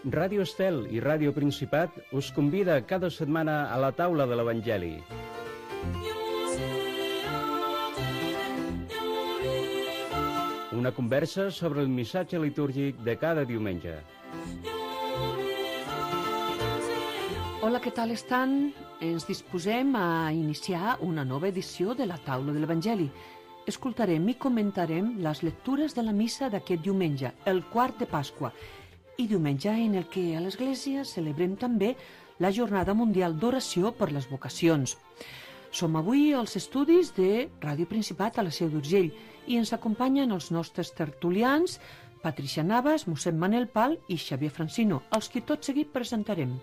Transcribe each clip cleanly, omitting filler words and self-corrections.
Ràdio Estel i Ràdio Principat us convida cada setmana a la taula de l'Evangeli. Una conversa sobre el missatge litúrgic de cada diumenge. Hola, què tal estan? Ens disposem a iniciar una nova edició de la taula de l'Evangeli. Escoltarem i comentarem les lectures de la missa d'aquest diumenge, el quart de Pasqua, i diumenge en el que a l'Església celebrem també la Jornada Mundial d'Oració per les Vocacions. Som avui als estudis de Ràdio Principat a la Seu d'Urgell i ens acompanyen els nostres tertulians, Patricia Navas, mossèn Manel Pal i Xavier Francino, els que tot seguit presentarem.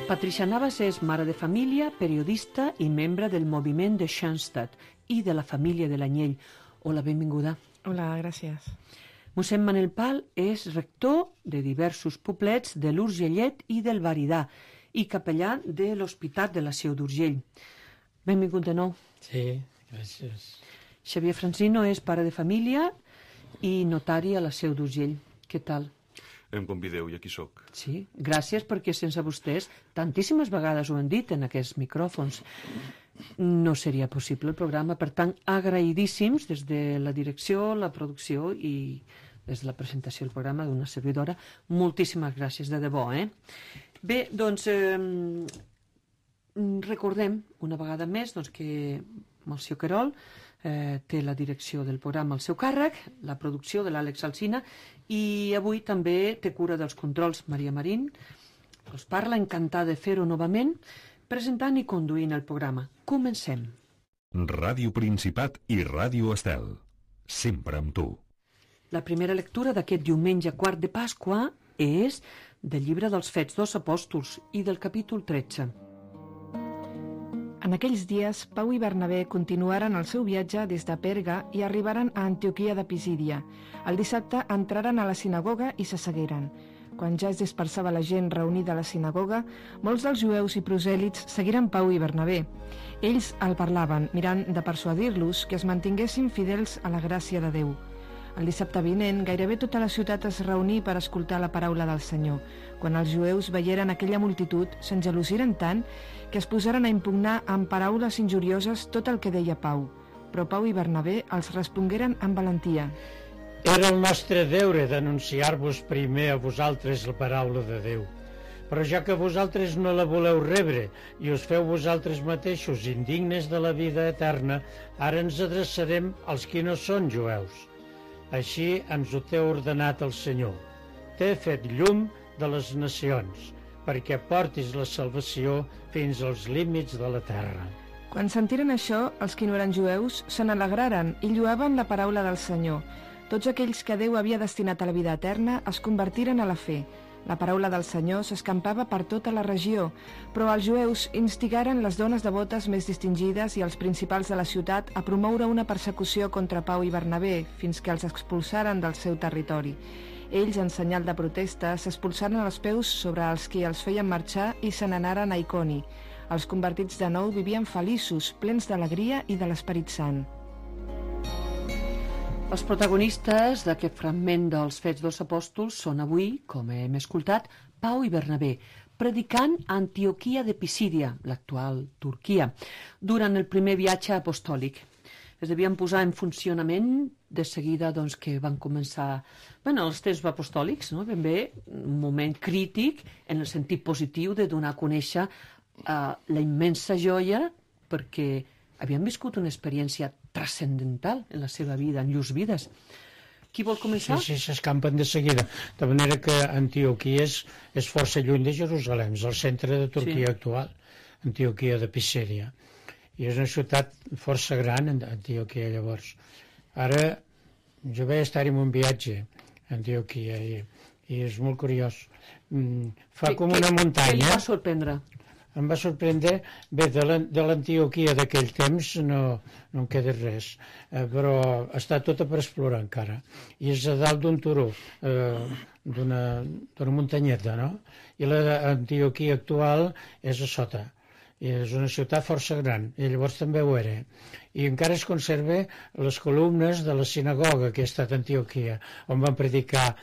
Patricia Navas és mare de família, periodista i membre del moviment de Schoenstatt i de la família de l'Anyell. Hola, benvinguda. Hola, gràcies. Mossèn Manel Pal és rector de diversos poblets de l'Urgellet i del Varidà i capellà de l'Hospital de la Seu d'Urgell. Benvingut de nou. Sí, gràcies. Xavier Francino és pare de família i notari a la Seu d'Urgell. Què tal? Em convideu i aquí sóc. Sí, gràcies perquè sense vostès, tantíssimes vegades ho han dit en aquests micròfons, no seria possible el programa. Per tant, agraïdíssims des de la direcció, la producció i des de la presentació del programa d'una servidora. Moltíssimes gràcies, de debò, Bé, doncs, recordem una vegada més que Melcior Querol té la direcció del programa al seu càrrec, la producció de l'Àlex Alsina, i avui també té cura dels controls Maria Marín. Us parla, encantada de fer-ho novament, presentant i conduint el programa. Comencem. Ràdio Principat i Ràdio Estel. Sempre amb tu. La primera lectura d'aquest diumenge quart de Pasqua és del llibre dels Fets dels Apòstols i del capítol 13. En aquells dies, Pau i Bernabé continuaren el seu viatge des de Perga i arribaren a Antioquia de Pisídia. El dissabte entraren a la sinagoga i s'assegueren. Quan ja es dispersava la gent reunida a la sinagoga, molts dels jueus i prosèlits seguiren Pau i Bernabé. Ells el parlaven, mirant de persuadir-los que es mantinguessin fidels a la gràcia de Déu. El dissabte vinent, gairebé tota la ciutat es reuní per escoltar la paraula del Senyor. Quan els jueus veieren aquella multitud, s'engelosiren tant que es posaren a impugnar amb paraules injurioses tot el que deia Pau. Però Pau i Bernabé els respongueren amb valentia. Era el nostre deure d'anunciar-vos primer a vosaltres la paraula de Déu. Però ja que vosaltres no la voleu rebre i us feu vosaltres mateixos indignes de la vida eterna, ara ens adreçarem als qui no són jueus. Així ens ho té ordenat el Senyor. T'he fet llum de les nacions, perquè portis la salvació fins als límits de la terra. Quan sentiren això, els qui no eren jueus se n'alegraren i lloaven la paraula del Senyor. Tots aquells que Déu havia destinat a la vida eterna es convertiren a la fe. La paraula del Senyor s'escampava per tota la regió, però els jueus instigaren les dones devotes més distingides i els principals de la ciutat a promoure una persecució contra Pau i Bernabé fins que els expulsaren del seu territori. Ells, en senyal de protesta, s'expulsaren els peus sobre els qui els feien marxar i se n'anaren a Iconi. Els convertits de nou vivien feliços, plens d'alegria i de l'Esperit Sant. Els protagonistes d'aquest fragment dels Fets dels Apòstols són avui, com hem escoltat, Pau i Bernabé, predicant a Antioquia de Pisídia, l'actual Turquia, durant el primer viatge apostòlic. Es devien posar en funcionament de seguida que van començar els temps apostòlics, ben bé, un moment crític en el sentit positiu de donar a conèixer la immensa joia perquè havien viscut una experiència transcendental en la seva vida, en llurs vides. Qui vol començar? Sí, s'escampen de seguida. De manera que Antioquia és força lluny de Jerusalem, és el centre de Turquia actual, Antioquia de Pisídia. I és una ciutat força gran, Antioquia, llavors. Ara, jo vaig estar en un viatge a Antioquia i és molt curiós. Fa com una muntanya. Què li va sorprendre? Em va sorprendre, bé, de l'Antioquia d'aquell temps no en queda res, però està tota per explorar encara. I és a dalt d'un turó, d'una muntanyeta, no? I l'Antioquia actual és a sota. I és una ciutat força gran, i llavors també ho era. i encara es conserva les columnes de la sinagoga que ha estat a Antioquia, on van predicar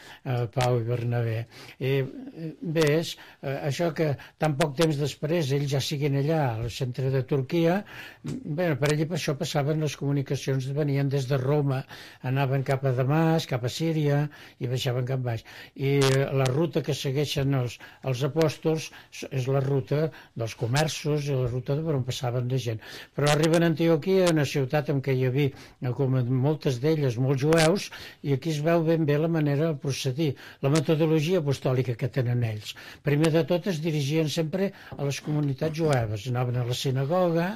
Pau i Bernabé. Bé, és això que tan poc temps després ells ja siguin allà, al centre de Turquia, bé, per allà per això passaven les comunicacions, venien des de Roma, anaven cap a Damasc, cap a Síria, i baixaven cap baix. I la ruta que segueixen els apòstols és la ruta dels comerços i la ruta per on passaven de gent. Però arriben a Antioquia, una ciutat en què hi havia, com moltes d'elles, molts jueus, i aquí es veu ben bé la manera de procedir, la metodologia apostòlica que tenen ells. Primer de tot es dirigien sempre a les comunitats jueves, anaven a la sinagoga,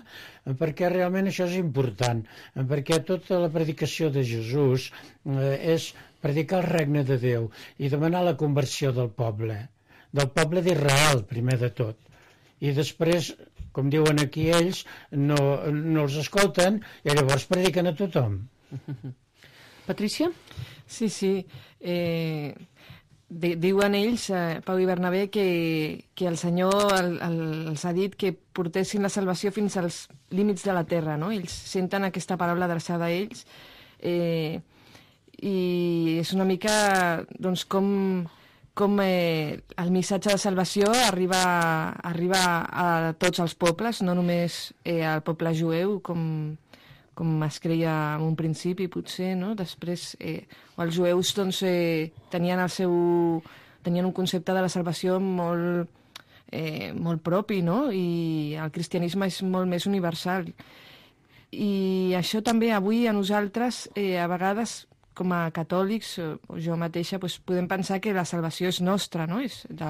perquè realment això és important, perquè tota la predicació de Jesús és predicar el regne de Déu i demanar la conversió del poble d'Israel, primer de tot. I després, com diuen aquí ells, no els escolten i llavors prediquen a tothom. Patricia? Sí. Diuen ells, Pau i Bernabé, que el Senyor els ha dit que portessin la salvació fins als límits de la terra, no? Ells senten aquesta paraula adreçada a ells i és una mica doncs, com el missatge de salvació arriba a tots els pobles, no només al poble jueu, com es creia en un principi, potser, no? Després, els jueus doncs, tenien un concepte de la salvació molt propi, no? I el cristianisme és molt més universal. I això també avui a nosaltres, a vegades, com a catòlics, o jo mateixa, doncs podem pensar que la salvació és nostra, no? És de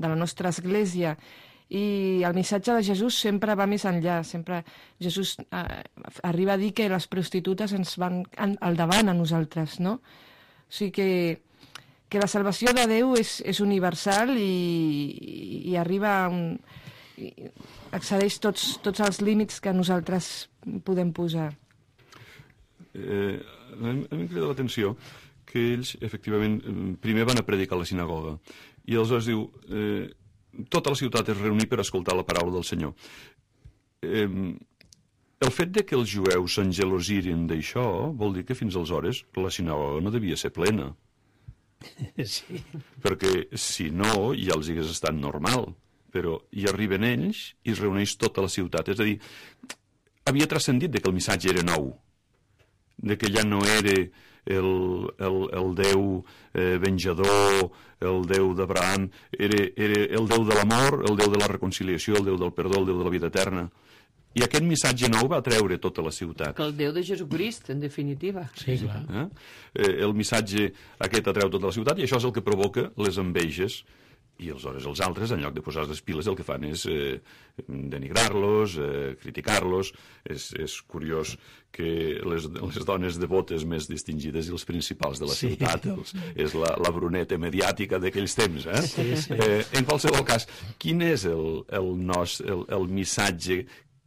la nostra església. I el missatge de Jesús sempre va més enllà. Sempre Jesús arriba a dir que les prostitutes ens van al davant a nosaltres, no? O sigui que la salvació de Déu és universal i arriba excedeix tots els límits que nosaltres podem posar. A mi em crida l'atenció que ells, efectivament, primer van a predicar a la sinagoga i aleshores diu tota la ciutat es reunir per escoltar la paraula del Senyor. El fet de que els jueus s'engelosirin d'això vol dir que fins aleshores la sinagoga no devia ser plena. Sí. Perquè si no ja els hagués estat normal, però hi arriben ells i es reuneix tota la ciutat. És a dir, havia transcendit de que el missatge era nou, de que ja no era el Déu venjador, el Déu d'Abraham, era el Déu de l'amor, el Déu de la reconciliació, el Déu del perdó, el Déu de la vida eterna. I aquest missatge nou va atreure tota la ciutat. Que el Déu de Jesucrist, en definitiva. Sí, clar. El missatge aquest atreu tota la ciutat i això és el que provoca les enveges. I aleshores els altres, en lloc de posar les piles, el que fan és denigrar-los, criticar-los. És curiós que les dones devotes més distingides i els principals de la ciutat és la bruneta mediàtica d'aquells temps. Sí. En qualsevol cas, quin és el missatge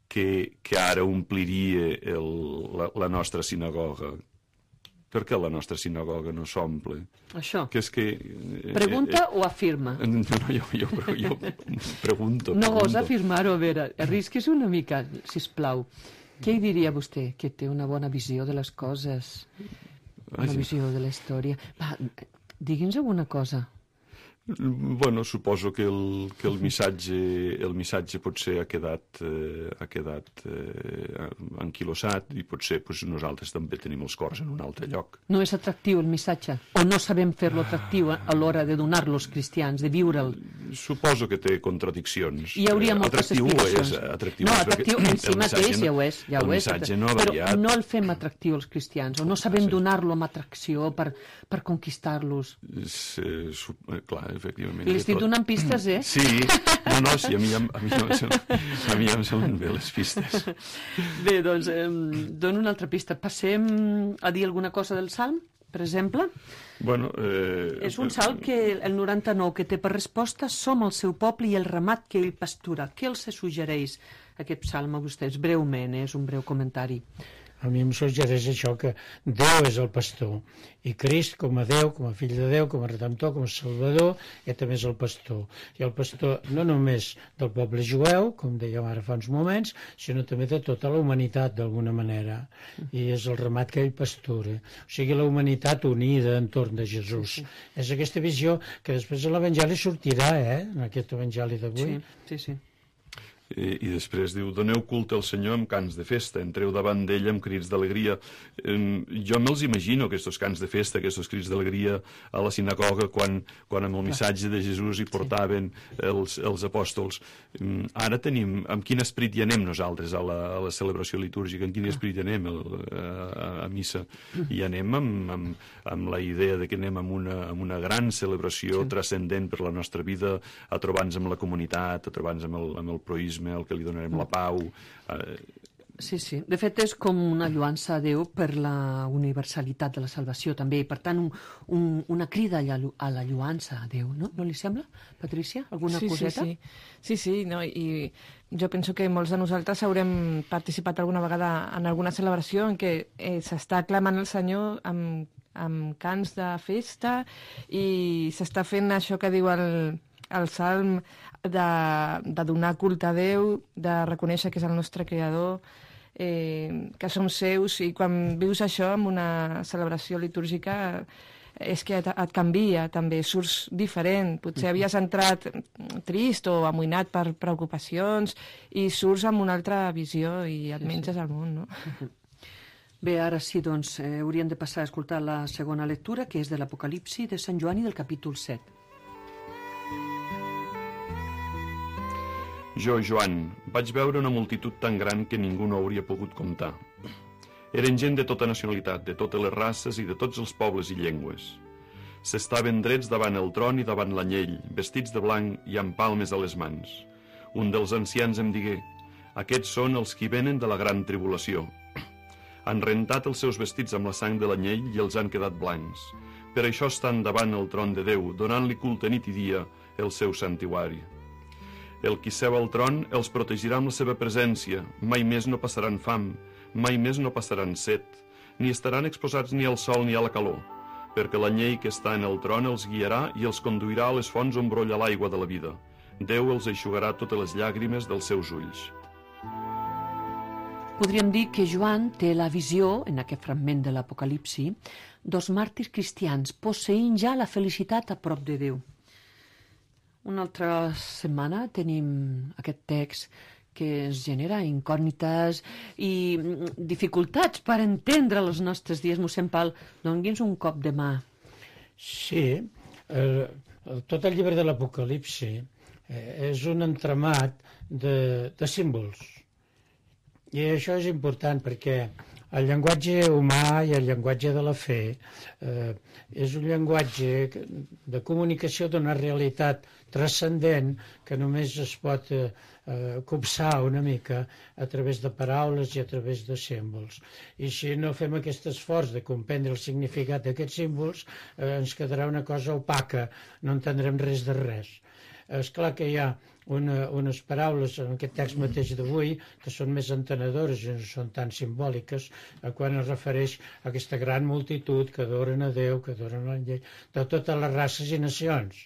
que ara ompliria la nostra sinagoga? Per què la nostra sinagoga no s'omple? Això. Que és que... Pregunta o afirma? No, jo pregunto. No gosa afirmar-ho, a veure, arrisquis una mica, sisplau. Què hi diria vostè, que té una bona visió de les coses, una visió de la història? Va, digui'ns alguna cosa. Bueno, suposo que el missatge potser ha quedat anquilosat i potser nosaltres també tenim els cors en un altre lloc. No és atractiu el missatge? O no sabem fer-lo atractiu a l'hora de donar-lo als cristians, de viure'l? Suposo que té contradiccions. Hi hauria moltes explicacions. Atractiu no, atractiu en si mateix ja ho és. El missatge no ha variat. Però no el fem atractiu als cristians, o no sabem donar-lo amb atracció per conquistar-los. Clar, efectivament. Li estic donant pistes, Sí, no, sí, a mi em semblen bé les pistes. Bé, doncs, dono una altra pista. Passem a dir alguna cosa del Salm, per exemple? Bueno, és un salm que el 99 que té per resposta som el seu poble i el ramat que ell pastura. Què els suggereix aquest salm a vostès? Breument, és un breu comentari. A mi em suggereix això, que Déu és el pastor, i Crist, com a Déu, com a fill de Déu, com a redemptor, com a salvador, també és el pastor. I el pastor no només del poble jueu, com dèiem ara fa uns moments, sinó també de tota la humanitat, d'alguna manera. I és el ramat que ell pastura. O sigui, la humanitat unida entorn de Jesús. És aquesta visió que després a l'Evangeli sortirà, en aquest Evangeli d'avui. Sí. I després diu, doneu culte al Senyor amb cants de festa, entreu davant d'ell amb crits d'alegria. Jo me'ls imagino, aquests cants de festa, aquests crits d'alegria a la sinagoga, quan amb el missatge de Jesús hi portaven els apòstols. Ara tenim, amb quin esperit hi anem nosaltres a la celebració litúrgica, en quin esperit hi anem a missa? I anem amb la idea de que anem amb una gran celebració transcendent per la nostra vida, a trobar-nos amb la comunitat, a trobar-nos amb el proïsme, el que li donarem la pau. Sí. De fet, és com una lloança a Déu per la universalitat de la salvació, també, i per tant una crida a la lloança a Déu, no? No li sembla, Patrícia? Alguna coseta? Sí, no? I jo penso que molts de nosaltres haurem participat alguna vegada en alguna celebració en què s'està aclamant el Senyor amb cants de festa i s'està fent això que diu el Salm de donar culte a Déu, de reconèixer que és el nostre Creador, que som seus, i quan vius això en una celebració litúrgica és que et canvia també, surts diferent. Potser havies entrat trist o amoïnat per preocupacions i surts amb una altra visió i et menges el món, no? Bé, ara sí, doncs, hauríem de passar a escoltar la segona lectura, que és de l'Apocalipsi de Sant Joan i del capítol 7. Jo, Joan, vaig veure una multitud tan gran que ningú no hauria pogut comptar. Eren gent de tota nacionalitat, de totes les races i de tots els pobles i llengües. S'estaven drets davant el tron i davant l'anyell, vestits de blanc i amb palmes a les mans. Un dels ancians em digué, aquests són els qui venen de la gran tribulació. Han rentat els seus vestits amb la sang de l'anyell i els han quedat blancs. Per això estan davant el tron de Déu, donant-li culte nit i dia el seu santuari. El qui seu al tron els protegirà amb la seva presència, mai més no passaran fam, mai més no passaran set, ni estaran exposats ni al sol ni a la calor, perquè l'anyell que està en el tron els guiarà i els conduirà a les fonts on brolla l'aigua de la vida. Déu els eixugarà totes les llàgrimes dels seus ulls. Podríem dir que Joan té la visió, en aquest fragment de l'Apocalipsi, dos màrtirs cristians posseint ja la felicitat a prop de Déu. Una altra setmana tenim aquest text que ens genera incògnites i dificultats per entendre els nostres dies. Mossèn Pal, doni'ns un cop de mà. Sí, tot el llibre de l'Apocalipsi és un entramat de símbols. I això és important perquè el llenguatge humà i el llenguatge de la fe és un llenguatge de comunicació d'una realitat transcendent que només es pot copsar una mica a través de paraules i a través de símbols. I si no fem aquest esforç de comprendre el significat d'aquests símbols, ens quedarà una cosa opaca, no entendrem res de res. És clar que hi ha unes paraules en aquest text mateix d'avui que són més entenedores i no són tan simbòliques quan es refereix a aquesta gran multitud que adoren a Déu, que adoren a l'Anyell, de totes les races i nacions.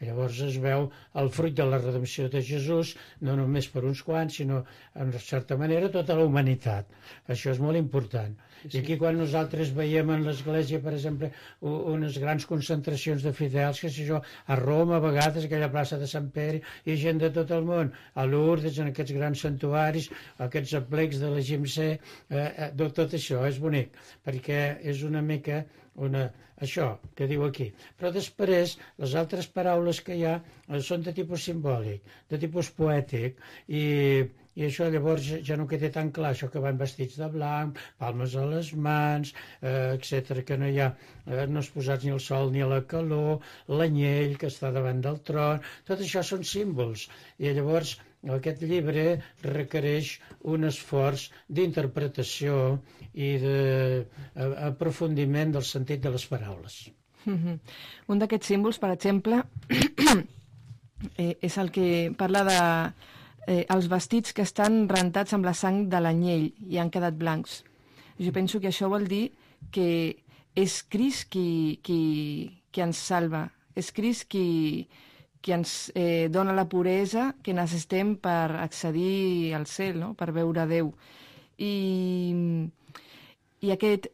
Llavors es veu el fruit de la redempció de Jesús, no només per uns quants, sinó, en certa manera, tota la humanitat. Això és molt important. I aquí quan nosaltres veiem en l'Església, per exemple, unes grans concentracions de fidels, que sé jo, a Roma, a vegades, aquella plaça de Sant Pere, i gent de tot el món, a Lourdes, en aquests grans santuaris, aquests aplecs de l'Egipte, tot això és bonic, perquè és una mica això que diu aquí. Però després, les altres paraules que hi ha són de tipus simbòlic, de tipus poètic, i això llavors ja no queda tan clar, això que van vestits de blanc, palmes a les mans, etc, que no hi ha, no és posats ni el sol ni la calor, l'anyell que està davant del tron, tot això són símbols, i llavors aquest llibre requereix un esforç d'interpretació i d'aprofundiment del sentit de les paraules. Un d'aquests símbols, per exemple, és el que parla de els vestits que estan rentats amb la sang de l'anyell i han quedat blancs. Jo penso que això vol dir que és Crist qui ens salva, és Crist qui ens dona la puresa que necessitem per accedir al cel, no? Per veure Déu. I aquest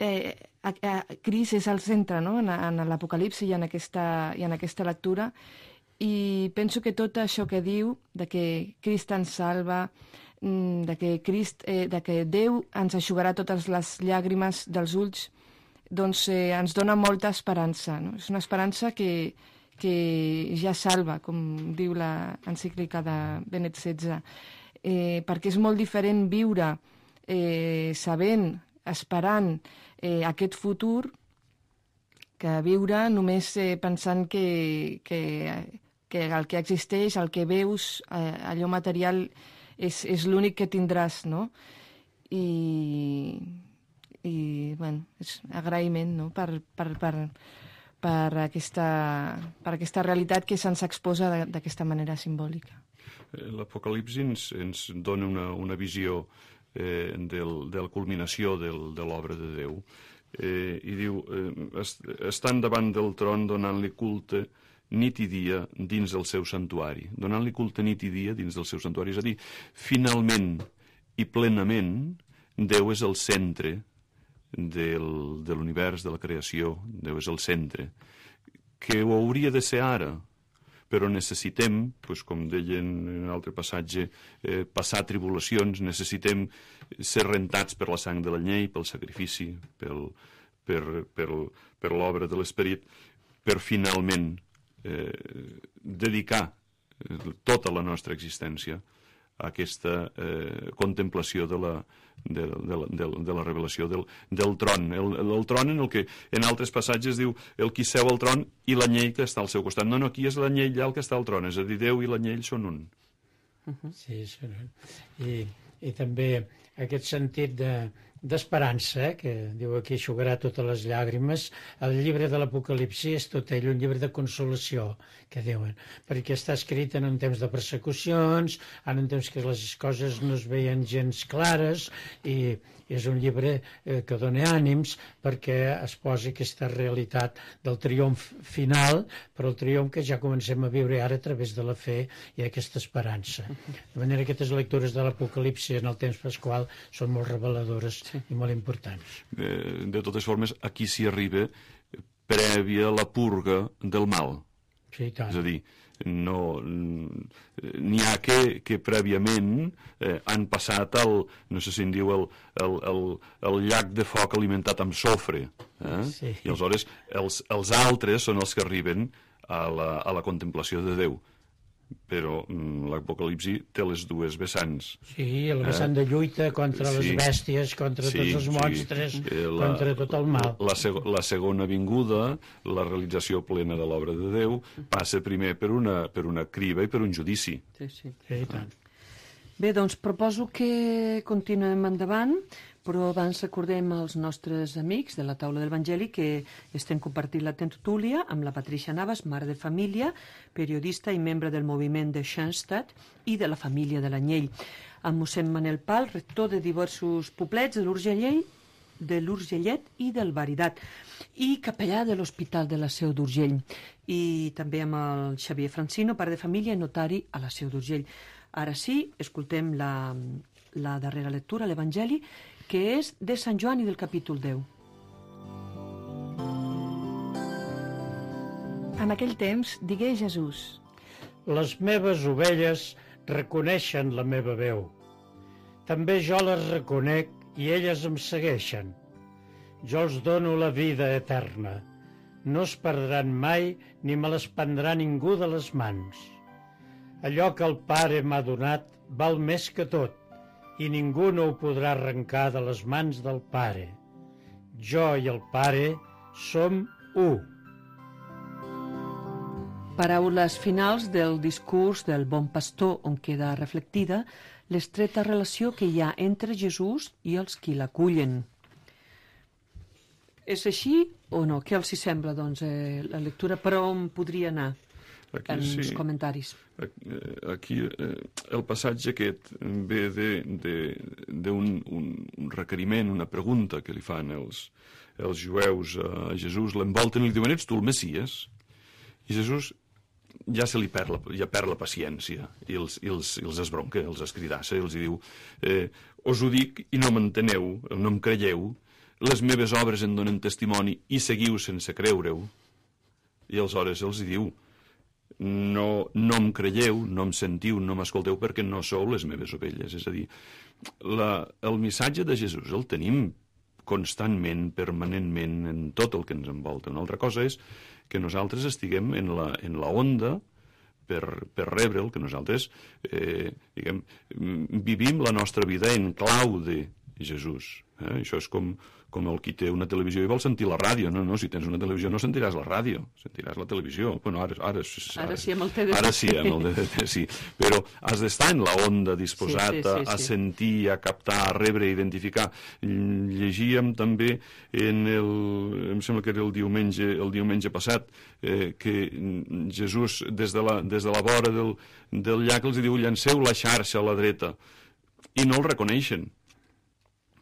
Crist és el centre, no? En l'Apocalipsi i en aquesta lectura, i penso que tot això que diu, de que Crist ens salva, de que Déu ens eixugarà totes les llàgrimes dels ulls, doncs ens dona molta esperança, no? És una esperança que ja salva, com diu l'encíclica de Benet XVI, perquè és molt diferent viure sabent, esperant aquest futur, que viure només pensant que el que existeix, el que veus, allò material, és l'únic que tindràs, no? I bueno, és agraïment, no? per aquesta realitat que se'ns exposa d'aquesta manera simbòlica. L'Apocalipsi ens dona una visió de la culminació de l'obra de Déu, i diu, estan davant del tron donant-li culte nit i dia dins del seu santuari, donant-li culte nit i dia dins del seu santuari, és a dir, finalment i plenament Déu és el centre de l'univers, de la creació. Déu és el centre, que ho hauria de ser ara, però necessitem, com deien en un altre passatge, passar tribulacions, necessitem ser rentats per la sang de l'anyell, pel sacrifici, per l'obra de l'Esperit, per finalment dedicar tota la nostra existència a aquesta contemplació de la revelació del tron. El tron en el que en altres passatges diu el qui seu al tron i l'anyell que està al seu costat. No, aquí és l'anyell allà el que està al tron, és a dir, Déu i l'anyell són un. Sí, són un. I també aquest sentit d'esperança, que diu aquí eixugarà totes les llàgrimes. El llibre de l'Apocalipsi és tot ell un llibre de consolació, que diuen, perquè està escrit en un temps de persecucions, en un temps que les coses no es veien gens clares, i és un llibre que dona ànims perquè es posi aquesta realitat del triomf final, però el triomf que ja comencem a viure ara a través de la fe i aquesta esperança. De manera que aquestes lectures de l'Apocalipsi en el temps pasqual són molt reveladores i molt importants. De totes formes, aquí s'hi arriba prèvia la purga del mal. Sí, tant. És a dir, n'hi ha que prèviament han passat no sé si en diu el llac de foc alimentat amb sofre, Sí. I aleshores els altres són els que arriben a la contemplació de Déu, però l'Apocalipsi té les dues vessants. Sí, el vessant de lluita contra les bèsties, contra tots els monstres, contra tot el mal. La segona vinguda, la realització plena de l'obra de Déu, passa primer per una criba i per un judici. Sí, tant. Bé, doncs proposo que continuem endavant, però abans recordem als nostres amics de la taula de l'Evangeli que estem compartint la tertúlia amb la Patricia Navas, mare de família, periodista i membre del moviment de Schoenstatt i de la família de l'Anyell, amb mossèn Manel Pal, rector de diversos poblets de l'Urgellet i del Baridat, i capellà de l'Hospital de la Seu d'Urgell, i també amb el Xavier Francino, pare de família i notari a la Seu d'Urgell. Ara sí, escoltem la darrera lectura, l'Evangeli, que és de Sant Joan i del capítol 10. En aquell temps digué Jesús: Les meves ovelles reconeixen la meva veu. També jo les reconec i elles em segueixen. Jo els dono la vida eterna. No es perdran mai ni me les prendrà ningú de les mans. Allò que el Pare m'ha donat val més que tot, i ningú no ho podrà arrencar de les mans del Pare. Jo i el Pare som u. Paraules finals del discurs del Bon Pastor, on queda reflectida l'estreta relació que hi ha entre Jesús i els qui l'acullen. És així o no? Què els hi sembla, doncs, la lectura? Per on podria anar? en els comentaris. Aquí el passatge aquest ve d'un requeriment, una pregunta que li fan els jueus a Jesús, l'envolten i li diuen, ets tu el Messies? I Jesús ja perd la paciència i els esbronca, els escridassa i els diu, us ho dic i no m'enteneu, no em creieu, les meves obres en donen testimoni i seguiu sense creure-ho. I aleshores els diu, no em creieu, no em sentiu, no m'escolteu perquè no sou les meves ovelles. És a dir, el missatge de Jesús el tenim constantment, permanentment, en tot el que ens envolta. Una altra cosa és que nosaltres estiguem en la onda per rebre'l, que nosaltres vivim la nostra vida en clau de Jesús. Això és com el qui té una televisió i vol sentir la ràdio. No, si tens una televisió no sentiràs la ràdio, sentiràs la televisió. Bueno, ara sí, amb el TDT. Ara sí, amb el TDT, sí. Però has d'estar en la onda, disposat a sentir, a captar, a rebre, a identificar. Llegíem també em sembla que era el diumenge passat, que Jesús, des de la vora del llac, els diu, llanceu la xarxa a la dreta. I no el reconeixen.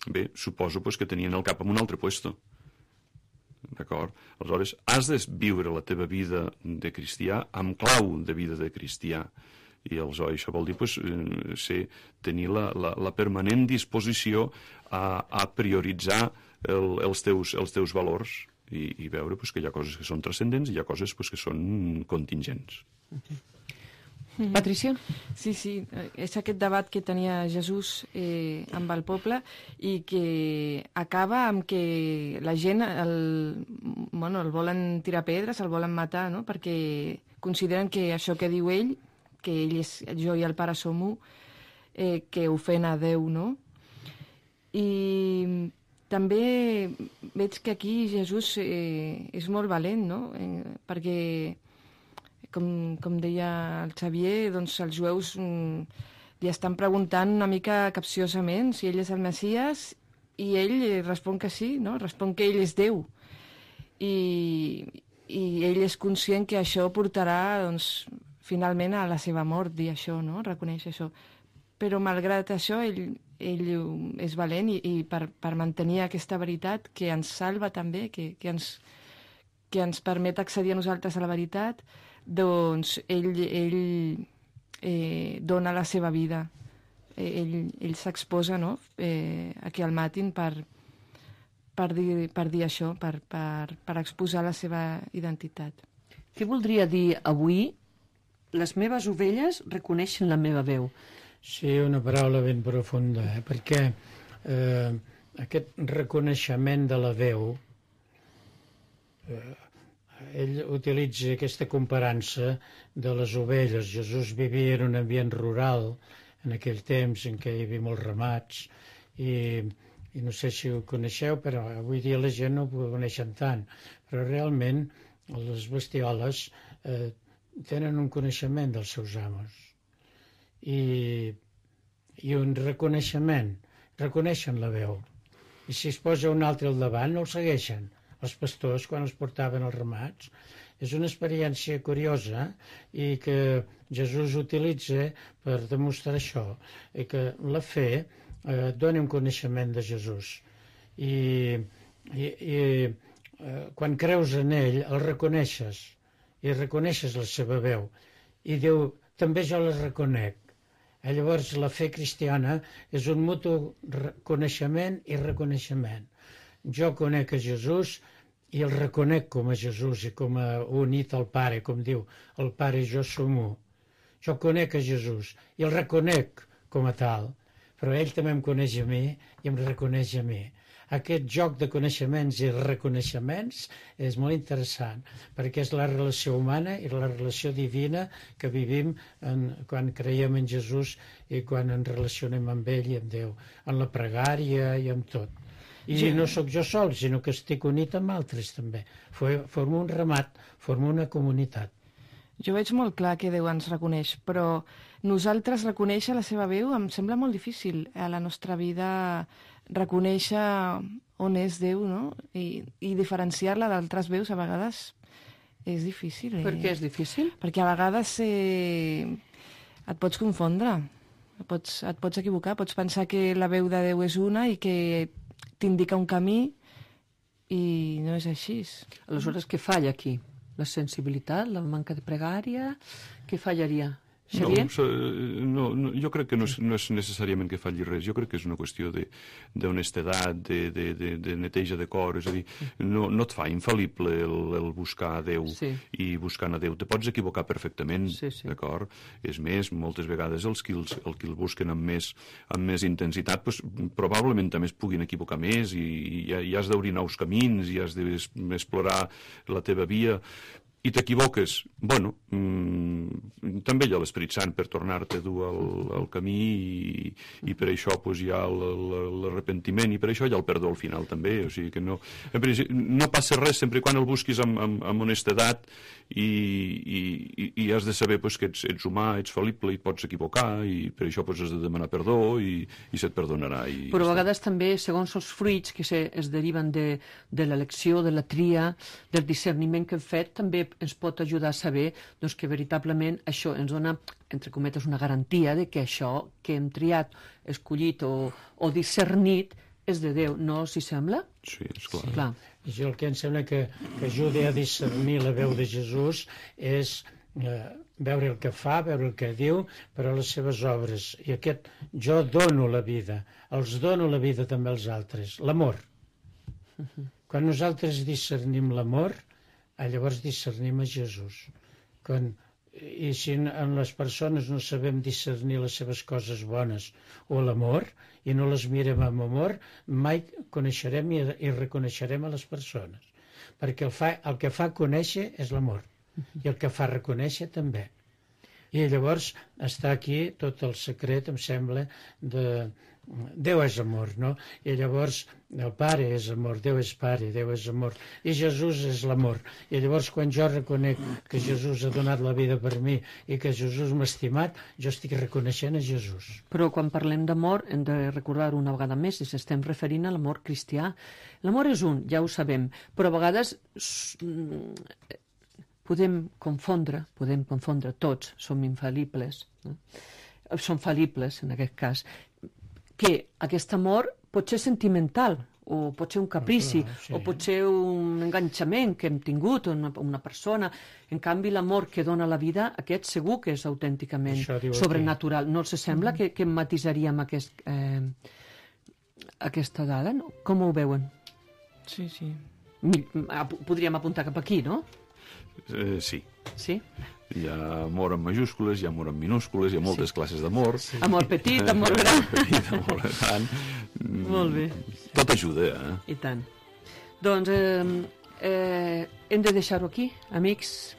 Bé, suposo que tenien el cap en un altre puesto. D'acord? Aleshores, has de viure la teva vida de cristià amb clau de vida de cristià. I aleshores això vol dir tenir la permanent disposició a prioritzar els teus valors i veure que hi ha coses que són transcendents i hi ha coses que són contingents. Patricia? Sí, és aquest debat que tenia Jesús amb el poble i que acaba amb que la gent el volen tirar pedres, el volen matar, no? Perquè consideren que això que diu ell, que ell és jo i el Pare som u, que ofèn a Déu, no? I també veig que aquí Jesús és molt valent, no? Perquè com deia el Xavier, doncs els jueus li estan preguntant una mica capciosament si ell és el Messies i ell respon que sí, no? Respon que ell és Déu. I ell és conscient que això portarà, doncs, finalment a la seva mort, dir això, no? Reconeix això. Però malgrat això, ell és valent i per mantenir aquesta veritat que ens salva també, que ens permet accedir a nosaltres a la veritat, doncs ell dona la seva vida. Ell s'exposa, no? A que el matin per dir això, per exposar la seva identitat. Què voldria dir avui les meves ovelles reconeixen la meva veu? Sí, una paraula ben profunda, perquè aquest reconeixement de la veu ell utilitza aquesta comparança de les ovelles. Jesús vivia en un ambient rural en aquell temps en què hi havia molts ramats i no sé si ho coneixeu, però avui dia la gent no ho coneixen tant, però realment les bestioles tenen un coneixement dels seus amos i un reconeixement, reconeixen la veu, i si es posa un altre al davant no el segueixen. Els pastors, quan els portaven als ramats, és una experiència curiosa i que Jesús utilitza per demostrar això, i que la fe dona un coneixement de Jesús. I quan creus en ell, el reconeixes, i reconeixes la seva veu. I diu, també jo la reconec. Llavors, la fe cristiana és un mutu coneixement i reconeixement. Jo conec a Jesús i el reconec com a Jesús i com a unit al Pare, com diu, el Pare i jo som u. Jo conec a Jesús i el reconec com a tal, però ell també em coneix a mi i em reconeix a mi. Aquest joc de coneixements i reconeixements és molt interessant, perquè és la relació humana i la relació divina que vivim quan creiem en Jesús i quan ens relacionem amb ell i amb Déu, en la pregària i amb tot. I no sóc jo sol, sinó que estic unit amb altres també. Formo un ramat, formo una comunitat. Jo veig molt clar que Déu ens reconeix, però nosaltres reconèixer la seva veu em sembla molt difícil a la nostra vida, reconèixer on és Déu, no? I diferenciar-la d'altres veus a vegades És difícil. Per què és difícil? Perquè a vegades et pots confondre, et pots equivocar, pots pensar que la veu de Déu és una i que t'indica un camí i no és així. Aleshores, què falla aquí? La sensibilitat, la manca de pregària? Què fallaria? Xavier? No, jo crec que no és necessàriament que falli res. Jo crec que és una qüestió d'honestedat, de neteja de cor. És a dir, no et fa infal·lible el buscar a Déu i buscant a Déu. Te pots equivocar perfectament, d'acord? És més, moltes vegades els que el busquen amb més intensitat probablement també es puguin equivocar més i has d'obrir nous camins i has d'explorar la teva via. I t'equivoques, bueno, també hi ha l'Esperit Sant per tornar-te a dur al camí i per això hi ha l'arrepentiment i per això hi ha el perdó al final també, o sigui que no passa res sempre quan el busquis amb honestedat i has de saber que ets humà, ets fal·lible i et pots equivocar i per això has de demanar perdó i se't perdonarà. Però a vegades també, segons els fruits que es deriven de l'elecció, de la tria, del discerniment que hem fet, també ens pot ajudar a saber que veritablement això ens dona, entre cometes, una garantia de que això que hem triat, escollit o discernit és de Déu, no s'hi sembla? Sí, esclar. I jo el que em sembla que ajuda a discernir la veu de Jesús és veure el que fa, veure el que diu, però les seves obres. I aquest jo dono la vida, els dono la vida també als altres. L'amor. Quan nosaltres discernim l'amor, llavors discernim a Jesús. I si en les persones no sabem discernir les seves coses bones o l'amor, i no les mirem amb amor, mai coneixerem i reconeixerem a les persones. Perquè el que fa conèixer és l'amor, i el que fa reconèixer també. I llavors està aquí tot el secret, em sembla, de Déu és amor, no? I llavors el Pare és amor, Déu és Pare, Déu és amor, i Jesús és l'amor. I llavors quan jo reconec que Jesús ha donat la vida per mi i que Jesús m'ha estimat, jo estic reconeixent a Jesús. Però quan parlem d'amor hem de recordar una vegada més i s'estem referint a l'amor cristià. L'amor és un, ja ho sabem, però a vegades podem confondre tots, som infal·libles, no? Som fal·libles en aquest cas, que aquest amor pot ser sentimental, o pot ser un caprici, o pot ser un enganxament que hem tingut una persona. En canvi, l'amor que dona la vida, aquest segur que és autènticament sobrenatural. No els sembla que matisaríem aquesta dada? No? Com ho veuen? Sí. Podríem apuntar cap aquí, no? Sí. Sí? Hi ha amor en majúscules, hi ha amor en minúscules, hi ha moltes classes d'amor. Sí. Amor petit, amor gran. Amor gran. Molt bé. Tot ajuda, I tant. Doncs hem de deixar-ho aquí, amics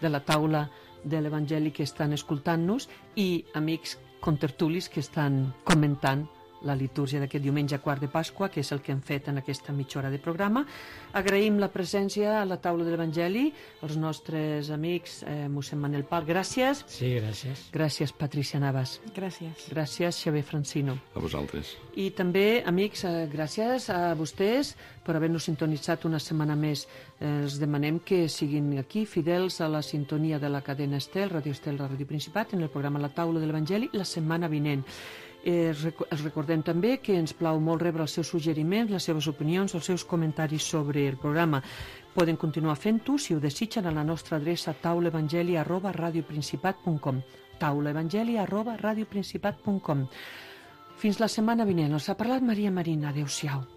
de la taula de l'Evangeli que estan escoltant-nos i amics contertulis que estan comentant la litúrgia d'aquest diumenge quart de Pasqua, que és el que hem fet en aquesta mitja hora de programa. Agraïm la presència a la taula de l'Evangeli, als nostres amics mossèn Manel Pal, gràcies. Sí, gràcies. Gràcies, Patricia Navas. Gràcies. Gràcies, Xavier Francino. A vosaltres. I també, amics, gràcies a vostès per haver-nos sintonitzat una setmana més. Els demanem que siguin aquí, fidels a la sintonia de la cadena Estel, Radio Estel, la Ràdio Principat, en el programa La Taula de l'Evangeli, la setmana vinent. Els recordem també que ens plau molt rebre els seus suggeriments, les seves opinions, els seus comentaris sobre el programa. Poden continuar fent-ho, si ho desitgen, a la nostra adreça taulaevangeli@radioprincipat.com taulaevangeli@radioprincipat.com. Fins la setmana vinent. Els ha parlat Maria Marina. Adéu-siau.